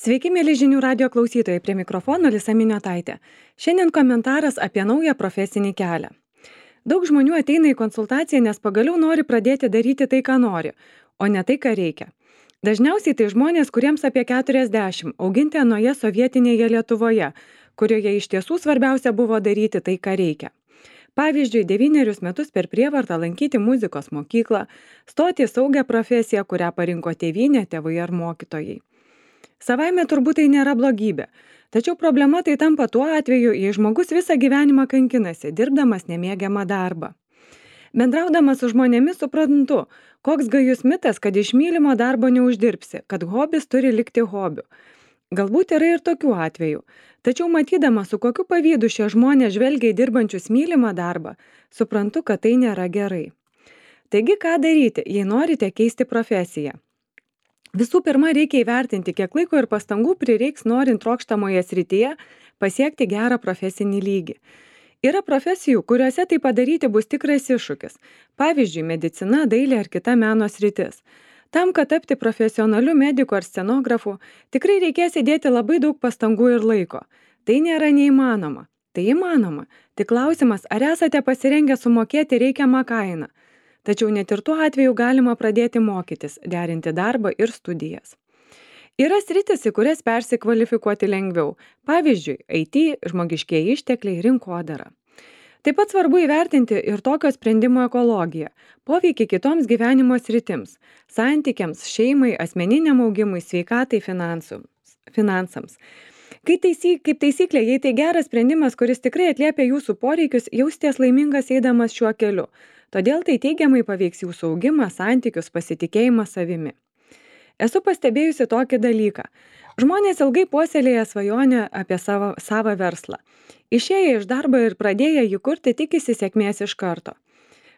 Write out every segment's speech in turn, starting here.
Sveiki, mėly žinių radio klausytojai, prie mikrofono Lisa Miniotaitė. Šiandien komentaras apie naują profesinį kelią. Daug žmonių ateina į konsultaciją, nes pagaliau nori pradėti daryti tai, ką nori, o ne tai, ką reikia. Dažniausiai tai žmonės, kuriems apie 40, auginti anoje sovietinėje Lietuvoje, kurioje iš tiesų svarbiausia buvo daryti tai, ką reikia. Pavyzdžiui, 9 metus per prievartą lankyti muzikos mokyklą, stoti į saugią profesiją, kurią parinko tėvynė, tėvai ar mokytojai. Savaime turbūt tai nėra blogybė, tačiau problema tai tampa tuo atveju, jei žmogus visą gyvenimą kankinasi, dirbdamas nemėgiamą darbą. Bendraudamas su žmonėmis suprantu, koks gajus mitas, kad iš mylimo darbo neuždirbsi, kad hobis turi likti hobiu. Galbūt yra ir tokių atvejų, tačiau matydama, su kokiu pavydu šie žmonės žvelgia į dirbančius mylimą darbą, suprantu, kad tai nėra gerai. Taigi, ką daryti, jei norite keisti profesiją? Visų pirma, reikia įvertinti, kiek laiko ir pastangų prireiks norint trokštamoje srityje pasiekti gerą profesinį lygį. Yra profesijų, kuriuose tai padaryti bus tikras iššūkis. Pavyzdžiui, medicina, dailė ar kita meno sritis. Tam, kad tapti profesionaliu mediku ar scenografu, tikrai reikės įdėti labai daug pastangų ir laiko. Tai nėra neįmanoma. Tai įmanoma. Tik klausimas, ar esate pasirengę sumokėti reikiamą kainą. Tačiau net ir tuo atveju galima pradėti mokytis, derinti darbą ir studijas. Yra sritis, į kurias persikvalifikuoti lengviau. Pavyzdžiui, IT, žmogiškieji ištekliai, rinkodara. Taip pat svarbu įvertinti ir tokio sprendimo ekologiją, poveikį kitoms gyvenimo sritims, santykiams, šeimai, asmeniniam augimui, sveikatai, finansams. Kaip taisyklė, jei tai geras sprendimas, kuris tikrai atliepia jūsų poreikius, jausitės laimingas eidamas šiuo keliu. Todėl tai teigiamai paveiks jūsų augimą, santykius, pasitikėjimą savimi. Esu pastebėjusi tokį dalyką. Žmonės ilgai puoselėja svajonę apie savo verslą. Išėję iš darbo ir pradėję jį kurti, tikisi sėkmės iš karto.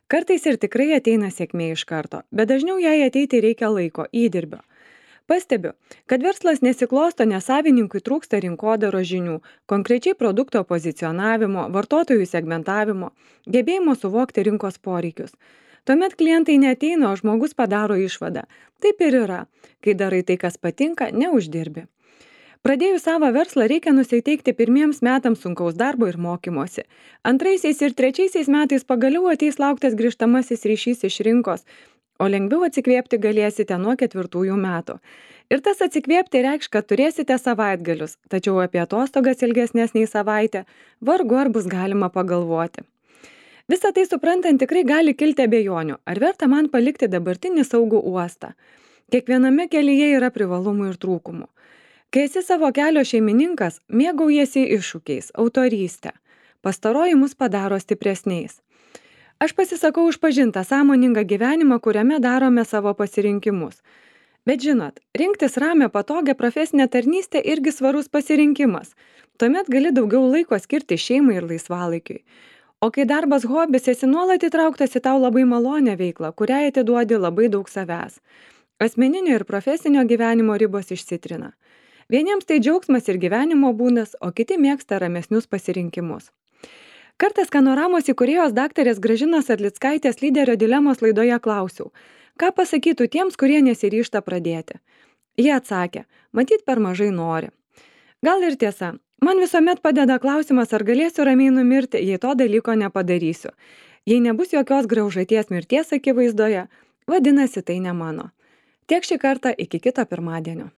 Kartais ir tikrai ateina sėkmė iš karto, bet dažniau jai ateiti reikia laiko, įdirbio. Pastebiu, kad verslas nesiklosto, nes savininkui trūksta rinkodaros žinių, konkrečiai produkto pozicionavimo, vartotojų segmentavimo, gebėjimo suvokti rinkos poreikius. Tuomet klientai neateina, o žmogus padaro išvadą. Taip ir yra. Kai darai tai, kas patinka, neuždirbi. Pradėjus savo verslą reikia nusiteikti pirmiems metams sunkaus darbo ir mokymosi. Antraisiais ir trečiaisiais metais pagaliau ateis lauktas grįžtamasis ryšys iš rinkos, o lengviau atsikvėpti galėsite nuo 4 metų. Ir tas atsikvėpti reikš, kad turėsite savaitgalius, tačiau apie atostogas ilgesnės nei savaitę vargu ar bus galima pagalvoti. Visą tai suprantant tikrai gali kilti abejonių, ar verta man palikti dabartinį saugų uostą. Kiekviename kelyje yra privalumų ir trūkumų. Kai esi savo kelio šeimininkas, mėgaujasi iššūkiais, autorystę. Pastaroji mus padaro stipresniais. Aš pasisakau už pažintą sąmoningą gyvenimą, kuriame darome savo pasirinkimus. Bet žinot, rinktis ramią patogią profesinę tarnystę irgi svarus pasirinkimas. Tuomet gali daugiau laiko skirti šeimai ir laisvalaikiui. O kai darbas hobis, esi nuolat įtrauktas į tau labai malonę veiklą, kuriai atiduodi labai daug savęs. Asmeninio ir profesinio gyvenimo ribos išsitrina. Vieniems tai džiaugsmas ir gyvenimo būdas, o kiti mėgsta ramesnius pasirinkimus. Kartą Skanoramos įkūrėjos daktarės Gražinos Arlickaitės lyderio dilemos laidoje klausiau, ką pasakytų tiems, kurie nesiryžta pradėti. Jie atsakė, matyt per mažai nori. Gal ir tiesa, man visuomet padeda klausimas, ar galėsiu ramiai numirti, jei to dalyko nepadarysiu. Jei nebus jokios graužaties mirties akivaizdoje, vadinasi tai ne mano. Tiek šį kartą, iki kito pirmadienio.